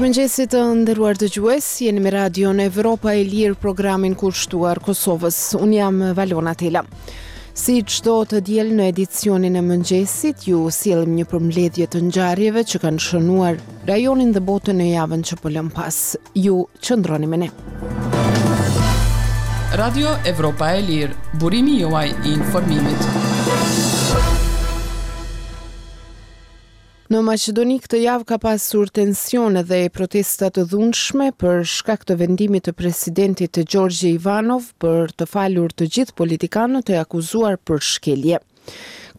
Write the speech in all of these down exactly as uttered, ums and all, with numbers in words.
Mirëmëngjesi të nderuar dëgjues, jeni me Radion Evropa e Lirë, programin kushtuar Kosovës. Unë jam Valona Tela. Si çdo të diel në edicionin e mëngjesit, ju sjellim një përmbledhje të ngjarjeve që kanë shënuar rajonin dhe botën në javën që po lëm pas. Ju qëndroni me ne. Radio Evropa e Lirë, burimi juaj i informimit. Në Maqedoni këtë javë ka pasur tensione dhe protesta të dhunshme për shkak të vendimit të presidentit të Gjorgje Ivanov për të falur të gjithë politikanët e akuzuar për shkelje.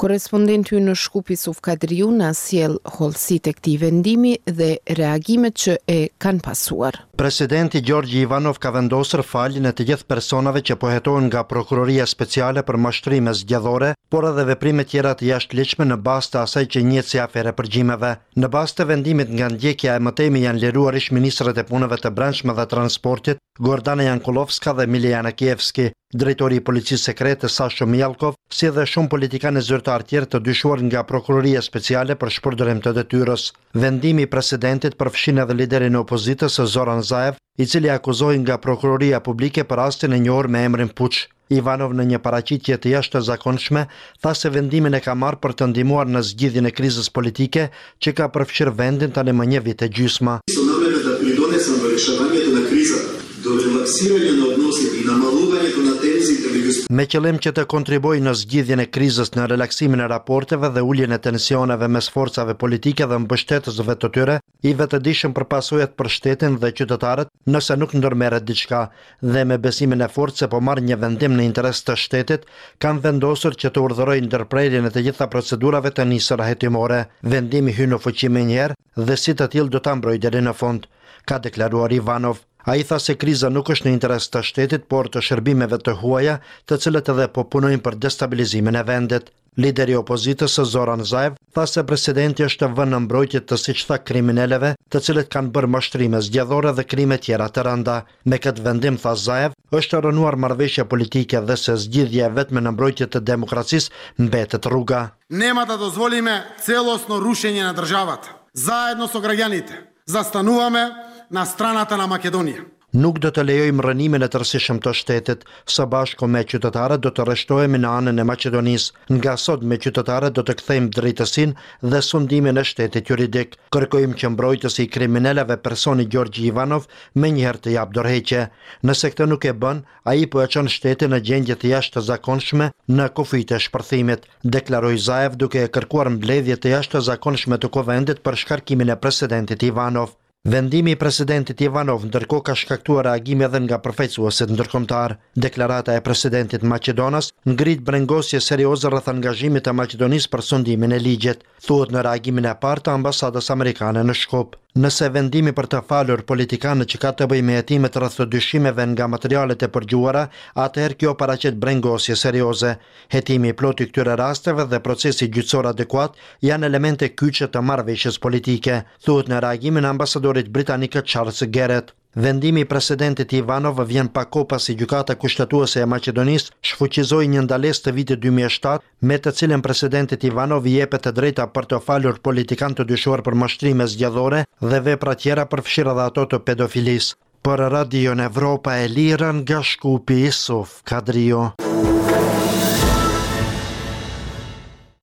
Korrespondenti ynë në Shkup Isuf Kadriu na sjell hollësitë e këtij vendimi dhe reagimet që e kanë pasuar. Presidenti Gjorgji Ivanov ka vendosur faljen e të gjithë personave që po hetohen nga Prokuroria Speciale për mashtrime zgjedhore, por edhe veprime tjera të jashtëligjshme në bazë të asaj që njihet si aferë e përgjimeve. Në bazë të vendimit nga ndjekja e mëtejme janë liruar ish ministrat e punëve të brendshme dhe transportit, Gordana Jankullovska dhe Miljan Janakievski, drejtori i policisë sekrete Sasho Mijallkov, si dhe shumë politikanë e zyrtarë tjerë të dyshuar nga Prokuroria Speciale për shpërdorim të detyrës. Vendimi i presidentit përfshin edhe liderin e opozitës Zoran Zaev, i cili akuzohej nga Prokuroria Publike për rastin e njohur me emrin Puç. Ivanov në një paraqitje të jashtëzakonshme tha se vendimin e ka marrë për të ndihmuar në zgjidhjen e krizës politike që ka përfshirë vendin tani më një vit e gjysmë. Со намера да придонесам во решавањето на кризата, до релаксирање на односите и намалувањето на тензиите меѓу Me qëllim që të kontribuoj në zgjidhjen e krizës, në relaksimin e raporteve dhe uljen e tensioneve mes forcave politike dhe mbështetësve të tyre, i vetëdijshëm për pasojat për shtetin dhe qytetarët nëse nuk ndërmerret diçka, dhe me besimin e fortë se po marr një vendim në interes të shtetit, kam vendosur që të urdhëroj ndërprerjen e të gjitha procedurave të nisura hetimore. Vendimi hyn në fuqi menjëherë dhe si të tillë do ta mbroj deri në fund, ka deklaruar Ivanov. Ai tha se kriza nuk është në interes të shtetit, por të shërbimeve të huaja, të cilët edhe po punojnë për destabilizimin e vendit. Lideri i opozitës Zoran Zaev tha se presidenti është vënë në mbrojtje të siç tha krimineleve, të cilët kanë bërë mashtrime zgjedhore dhe krime tjera të rënda. Me këtë vendim, tha Zaev, është rrënuar marrëveshja politike dhe se zgjidhja e vetme në mbrojtje të demokracisë mbetet rruga. Нема да дозволиме целосно рушење на државата. Заедно со граѓаните застануваме на страната на Македонија. Nuk do të lejojmë rrënimin e tërësishëm të shtetit. Së bashku me qytetarët do të rreshtohemi në anën e Maqedonisë. Nga sot me qytetarët do të kthejmë drejtësinë dhe sundimin e shtetit juridik. Kërkojmë që mbrojtësi i kriminelëve personi Gjorgji Ivanov menjëherë të japë dorëheqje. Nëse këtë nuk e bën, ai po e çon shtetin në gjendje të jashtëzakonshme në kufijtë e shpërthimit, deklaroi Zaev duke e kërkuar mbledhje të jashtëzakonshme të kuvendit për shkarkimin e presidentit Ivanov. Vendimi i presidentit Ivanov ndërkohë ka shkaktuar reagime edhe nga përfaqësuesit ndërkombëtar. Deklarata e presidentit maqedonas ngrit brengosje serioze rreth angazhimit të Maqedonisë për sundimin e ligjit, thuhet në reagimin e parë të ambasadës amerikane në Shkup. Nëse vendimi për të falur politikanët që ka të bëjë me hetimet rreth të dyshimeve nga materialet e përgjuara, atëherë kjo paraqet brengosje serioze. Hetimi i plotë i këtyre rasteve dhe procesi gjyqësor adekuat janë elemente kyçe të marrëveshjes politike, thuhet në reagimin e ambasadorit britanik Charles Garrett. Vendimi i presidentit Ivanov vjen pak kohë pasi gjykata kushtetuese e Maqedonisë shfuqizoi një ndalesë të vitit dy mijë e shtatë, me të cilën presidentit Ivanov i jepet e drejta për të falur politikanë të dyshuar për mashtrime zgjedhore dhe vepra tjera, përfshirë edhe ato të pedofilisë. Për Radion Evropa e Lirë nga Shkupi, Isuf Kadriu.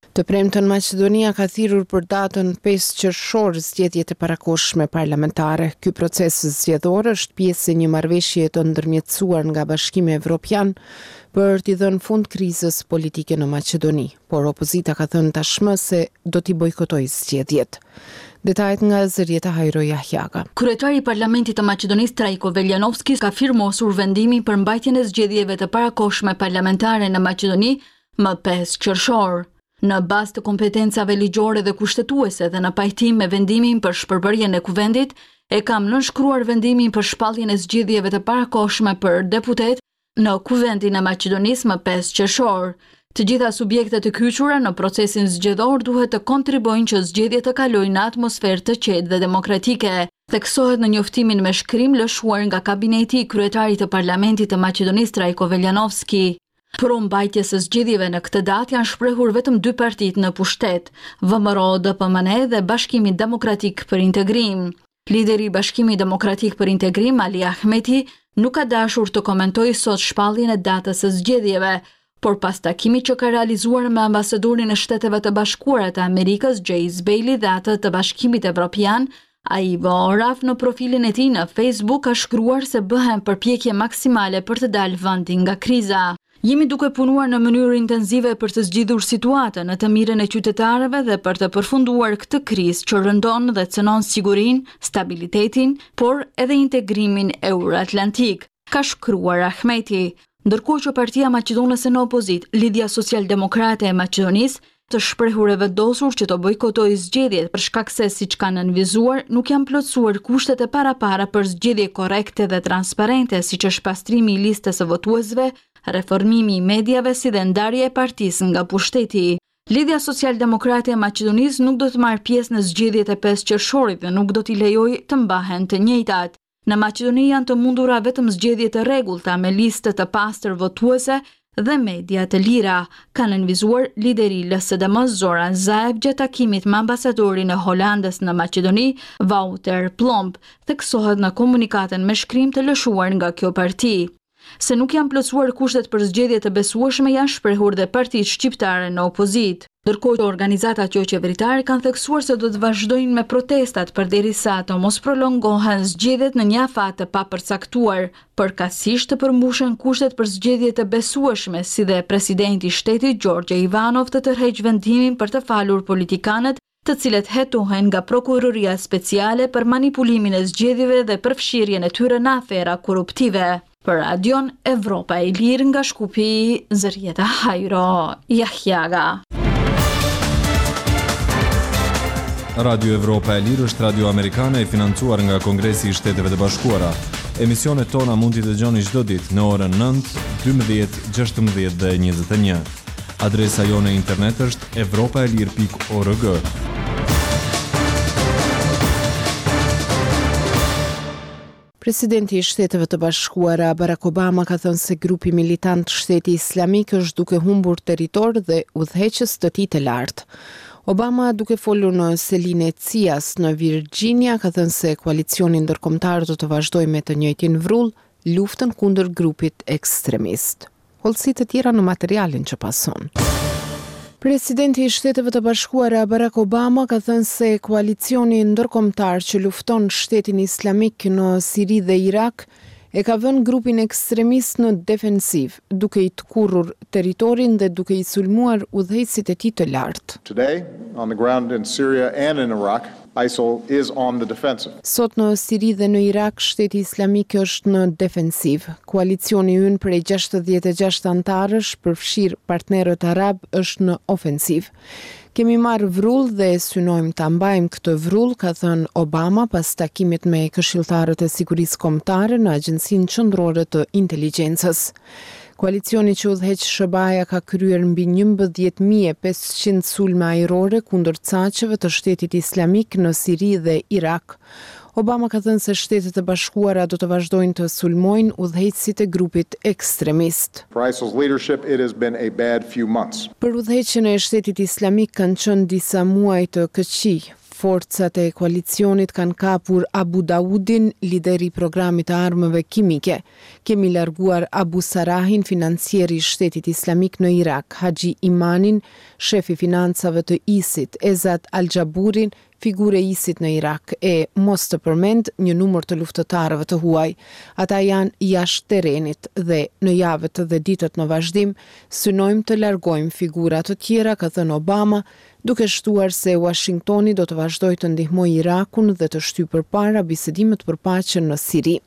Të premten Maqedonia ka thirrur për datën pesë qershor zgjedhjet e parakohshme parlamentare. Ky proces zgjedhor është pjesë e një marrëveshjeje të ndërmjetësuar nga Bashkimi Evropian për t'i dhënë fund krizës politike në Maqedoni, por opozita ka thënë tashmë se do t'i bojkotojë zgjedhjet. Detajet nga Zërjeta Hajro Jahjaga. Kryetari i Parlamentit të Maqedonisë Trajko Veljanovski ka firmosur vendimin për mbajtjen e zgjedhjeve të parakohshme parlamentare në Maqedoni më pesë qershor. Në bazë të kompetencave ligjore dhe kushtetuese dhe në pajtim me vendimin për shpërbërjen e kuvendit, e kam nënshkruar vendimin për shpalljen e zgjedhjeve të parakohshme për deputet në Kuvendin e Maqedonisë më pesë qershor. Të gjitha subjektet e kyçura në procesin zgjedhor duhet të kontribuojnë që zgjedhjet të kalojnë në atmosferë të qetë dhe demokratike. Theksohet në njoftimin me shkrim lëshuar nga kabineti i kryetarit të Parlamentit të Maqedonisë Trajko Veljanovski. Pro mbajtjes së zgjedhjeve në këtë datë janë shprehur vetëm dy partitë në pushtet, V M R O D P M N dhe Bashkimi Demokratik për Integrim. Lideri i Bashkimit Demokratik për Integrim, Ali Ahmeti, nuk ka dashur të komentojë sot shpalljen e datës së zgjedhjeve, por pas takimit që ka realizuar me ambasadorin e Shteteve të Bashkuara të Amerikës, James Bailey, dhe atë të Bashkimit Evropian, Aivo Oraf, në profilin e tij në Facebook ka shkruar se bëhen përpjekje maksimale për të dalë vendin nga kriza. Jemi duke punuar në mënyrë intensive për të zgjidhur situatën në të mirën e qytetarëve dhe për të përfunduar këtë krizë që rëndon dhe cënon sigurinë, stabilitetin, por edhe integrimin euroatlantik, ka shkruar Ahmeti. Ndërkohë që Partia Maqedonase në opozitë, Lidhja Social Demokrate e Maqedonisë, të shprehur e vendosur që të bojkotojë zgjedhjet për shkak se, siç kanë nënvizuar, nuk janë plotësuar kushtet e parapara për zgjedhje korrekte dhe transparente, siç është pastrimi i listës së votuesve, reformimi i mediave si dhe ndarja e partisë nga pushteti. Lidhja Social Demokrate e Maqedonisë nuk do të marrë pjesë në zgjedhjet e pesë qershorit dhe nuk do t'i lejojë të mbahen të njëjtat. Në Maqedoni janë të mundura vetëm zgjedhje të rregullta me listë të pastër votuese dhe media të lira, ka nënvizuar lideri i L S D M Zoran Zaev gjatë takimit me ambasadorin e Holandës në Maqedoni, Wouter Plomp, theksohet në komunikatën me shkrim të lëshuar nga kjo parti. Se nuk janë plotësuar kushtet për zgjedhje të besueshme janë shprehur dhe partitë shqiptare në opozitë. Ndërkohë që organizatat jo qeveritare kanë theksuar se do të vazhdojnë me protestat përderisa të mos prolongohen zgjedhjet në një afat të papërcaktuar, përkatësisht të përmbushen kushtet për zgjedhje të besueshme, si dhe presidenti i shtetit Gjorgje Ivanov të tërheqë vendimin për të falur politikanët të cilët hetohen nga prokuroria speciale për manipulimin e zgjedhjeve dhe përfshirjen e tyre në afera korruptive. Për Radion Evropa e Lirë nga Shkupi, Zërjeta Hajro, Jahjaga. Radio Evropa e Lirë është radio amerikane e financuar nga Kongresi i Shteteve të Bashkuara. Emisionet tona mund t'i dëgjoni çdo ditë në orën nëntë, dymbëdhjetë, gjashtëmbëdhjetë dhe njëzet e një. Adresa jonë e internet është evropaelir pikë org. Presidenti i Shteteve të Bashkuara Barack Obama ka thënë se grupi militant Shteti Islamik është duke humbur territor dhe udhëheqës të tij të lartë. Obama, duke folur në selinë e C I A-s në Virginia, ka thënë se koalicioni ndërkombëtar do të vazhdojë me të njëjtin vrull luftën kundër grupit ekstremist. Hollësi të tjera në materialin që pason. Presidenti i Shteteve të Bashkuara Barack Obama ka thënë se koalicioni ndërkombëtar që lufton Shtetin Islamik në Siri dhe Irak e ka vënë grupin ekstremist në defensivë, duke i tkurrur territorin dhe duke i sulmuar udhëheqësit e tij të lartë. Today, on the ground in Syria and in Iraq, ISIL is on the defensive. Sot në Siri dhe në Irak, Shteti Islamik është në defensivë. Koalicioni ynë prej gjashtëdhjetë e gjashtë anëtarësh, përfshirë partnerët arab, është në ofensivë. Kemi marrë vrull dhe synojmë ta mbajmë këtë vrull, ka thënë Obama pas takimit me këshilltarët e sigurisë kombëtare në Agjencinë Qendrore të Inteligjencës. Koalicioni që udhëheq S H B A-ja ka kryer mbi njëmbëdhjetë mijë e pesëqind sulme ajrore kundër caqeve të Shtetit Islamik në Siri dhe Irak. Obama ka thënë se Shtetet e Bashkuara do të vazhdojnë të sulmojnë udhëheqësit e grupit ekstremist. For ISIL's leadership, it has been a bad few months. Për udhëheqjen e Shtetit Islamik kanë qenë disa muaj të këqij. Forcat e koalicionit kanë kapur Abu Daudin, lideri i programit të armëve kimike. Kemi larguar Abu Sarahin, financieri i Shtetit Islamik në Irak, Haxhi Imanin, shefi financave të ISIT, Ezat Al-Jaburin, figurë e ISIT në Irak, e mos të përmend një numër të luftëtarëve të huaj. Ata janë jashtë terenit dhe në javët dhe ditët në vazhdim synojmë të largojmë figura të tjera, ka thënë Obama, duke shtuar se Washingtoni do të vazhdojë të ndihmojë Irakun dhe të shtyjë përpara bisedimet për paqen në Siri.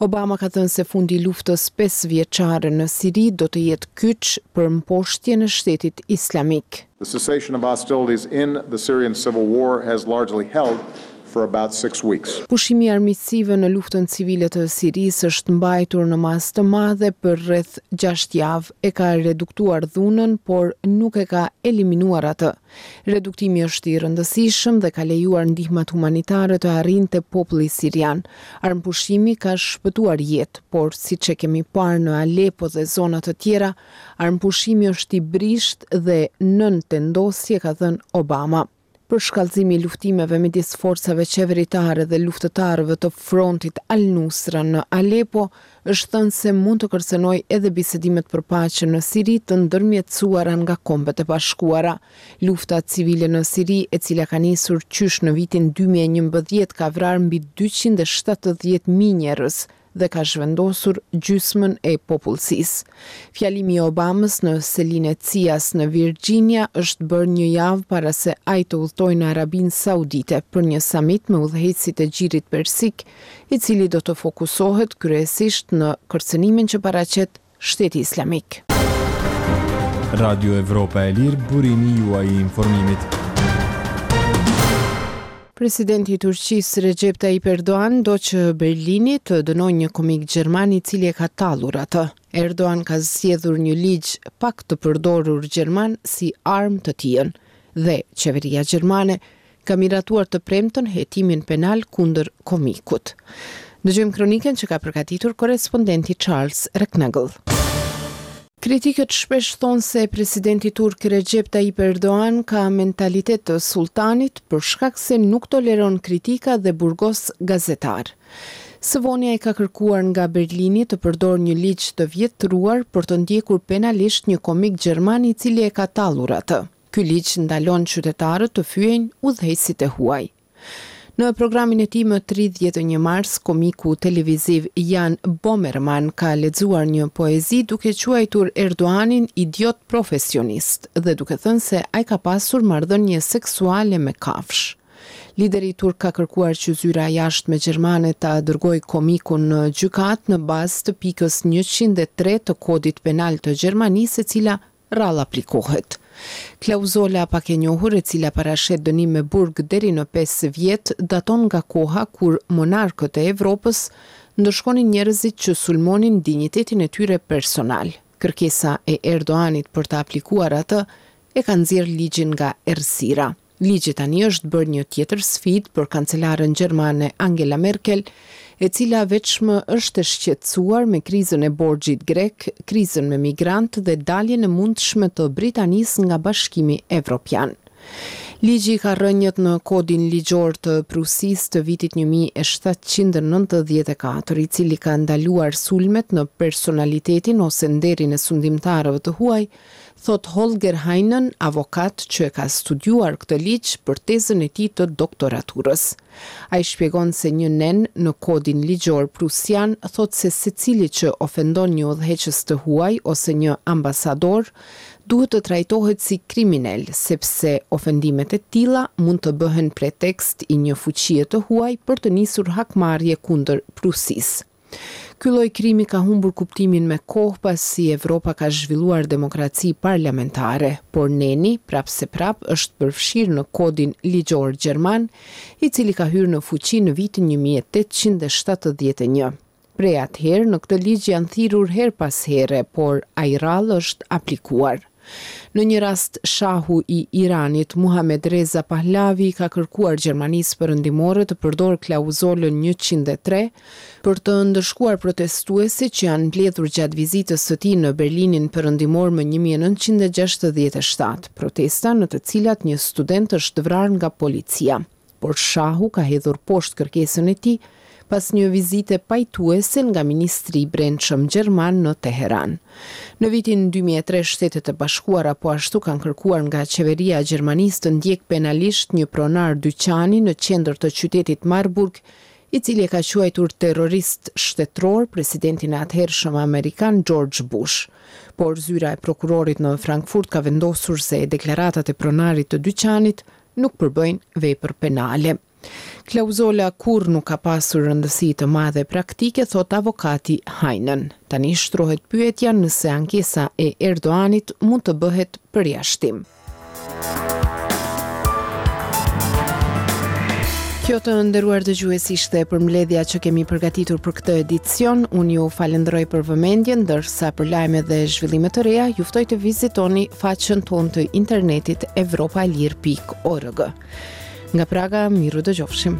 Obama ka thënë se fundi i luftës pesë vjeçare në Siri do të jetë kyç për mposhtjen e Shtetit Islamik. The cessation of hostilities in the Syrian civil war has largely held for about six weeks. Pushimi i armiqësive në luftën civile të Sirisë është mbajtur në masë të madhe për rreth gjashtë javë, e ka reduktuar dhunën, por nuk e ka eliminuar atë. Reduktimi është i rëndësishëm dhe ka lejuar ndihmat humanitare të arrijnë te populli sirian. Armëpushimi ka shpëtuar jetë, por siç e kemi parë në Aleppo dhe zona të tjera, armëpushimi është i brishtë dhe nën tendosje, ka thënë Obama. Përshkallëzimi i luftimeve midis forcave qeveritare dhe luftëtarëve të frontit Al-Nusra në Aleppo është thënë se mund të kërcënojë edhe bisedimet për paqe në Siri të ndërmjetësuara nga Kombet e Bashkuara. Lufta civile në Siri, e cila ka nisur qysh në vitin dy mijë e njëmbëdhjetë, ka vrarë mbi dyqind e shtatëdhjetë mijë njerëz dhe ka zhvendosur gjysmën e popullsisë. Fjalimi i Obamës në selinë e C I A-s në Virginia është bërë një javë para se ai të udhëtojë në Arabinë Saudite për një samit me udhëheqësit e Gjirit Persik, i cili do të fokusohet kryesisht në kërcënimin që paraqet Shteti Islamik. Radio Evropa e Lirë, burimi juaj i informimit. Presidenti i Turqisë Recep Tayyip Erdogan do që Berlini të dënojë një komik gjerman i cili e ka tallur atë. Erdogan ka zgjedhur një ligj pak të përdorur gjerman si armë të tijën dhe qeveria gjermane ka miratuar të premten hetimin penal kundër komikut. Dëgjojmë kronikën që ka përgatitur korrespondenti Charles Recknagel. Kritikët shpesh thonë se presidenti turk Recep Tayyip Erdogan ka mentalitet të sultanit për shkak se nuk toleron kritika dhe burgos gazetar. Së voni ai ka kërkuar nga Berlini të përdorë një ligj të vjetruar për të ndjekur penalisht një komik gjerman i cili e ka tallur atë. Ky ligj ndalon qytetarët të fyejnë udhëheqësit e huaj. Në programin e tij më tridhjetë e një mars, komiku televiziv Jan Böhmermann ka lexuar një poezi duke quajtur Erdoganin idiot profesionist dhe duke thënë se ai ka pasur marrëdhënie seksuale me kafshë. Lideri turk ka kërkuar që zyra e jashtme gjermane ta dërgojë komikun në gjykatë në bazë të pikës njëqind e tre të kodit penal të Gjermanisë, e cila rrallë aplikohet. Klauzola pak e njohur, e cila parashet dënim me burg deri në pesë vjet, daton nga koha kur monarkët e Evropës ndëshkonin njerëzit që sulmonin dinjitetin e tyre personal. Kërkesa e Erdoganit për të aplikuar atë e ka nxjerrë ligjin nga errësira. Ligji tani është bërë një tjetër sfidë për kancelaren gjermane Angela Merkel, e cila veçmë është e shqetësuar me krizën e borxhit grek, krizën me migrantë dhe daljen e mundshme të Britanisë nga Bashkimi Evropian. Ligji ka rrënjët në kodin ligjor të Prusisë të vitit një mijë e shtatëqind e nëntëdhjetë e katër, i cili ka ndaluar sulmet në personalitetin ose nderin e sundimtarëve të huaj, thot Holger Heinen, avokat që e ka studiuar këtë ligj për tezën e tij të doktoraturës. Ai shpjegon se një nen në kodin ligjor prusian thot se secili që ofendon një udhëheqës të huaj ose një ambasador duhet të trajtohet si kriminel, sepse ofendimet e tilla mund të bëhen pretekst i një fuqie të huaj për të nisur hakmarrje kundër Prusisë. Ky lloj krimi ka humbur kuptimin me kohë pasi Evropa ka zhvilluar demokraci parlamentare, por neni prapëseprap është përfshirë në kodin ligjor gjerman, i cili ka hyrë në fuqi në vitin një mijë e tetëqind e shtatëdhjetë e një. Prej atëherë në këtë ligj janë thirrur her pas here, por ai rrallë është aplikuar. Në një rast, shahu i Iranit, Muhammed Reza Pahlavi, ka kërkuar Gjermanisë Perëndimore të përdorë klauzolën njëqind e tre për të ndëshkuar protestuesit që janë mbledhur gjatë vizitës së tij në Berlinin Perëndimor më një mijë e nëntëqind e gjashtëdhjetë e shtatë, protesta në të cilat një student është vrarë nga policia. Por shahu ka hedhur poshtë kërkesën e tij pas një vizite pajtuese nga Ministri i Brendshëm gjerman në Teheran. Në vitin dy mijë e tre, Shtetet e Bashkuara po ashtu kanë kërkuar nga qeveria e Gjermanisë të ndjekë penalisht një pronar dyqani në qendër të qytetit Marburg, i cili e ka quajtur terrorist shtetëror presidentin e atëhershëm amerikan George Bush. Por zyra e prokurorit në Frankfurt ka vendosur se deklaratat e pronarit të dyqanit nuk përbëjnë vepër penale. Klauzola kur nuk ka pasur rëndësi të madhe praktike, thot avokati Heinen. Tani shtrohet pyetja nëse ankesa e Erdoganit mund të bëhet përjashtim. Kjo të nderuar dëgjues ishte përmbledhja që kemi përgatitur për këtë edicion. Unë ju falenderoj për vëmendjen, ndërsa për lajme dhe zhvillime të reja ju ftoj të vizitoni faqen tonë të internetit evropa e lirë pikë org. Nga Praga, miru dëgjofshim.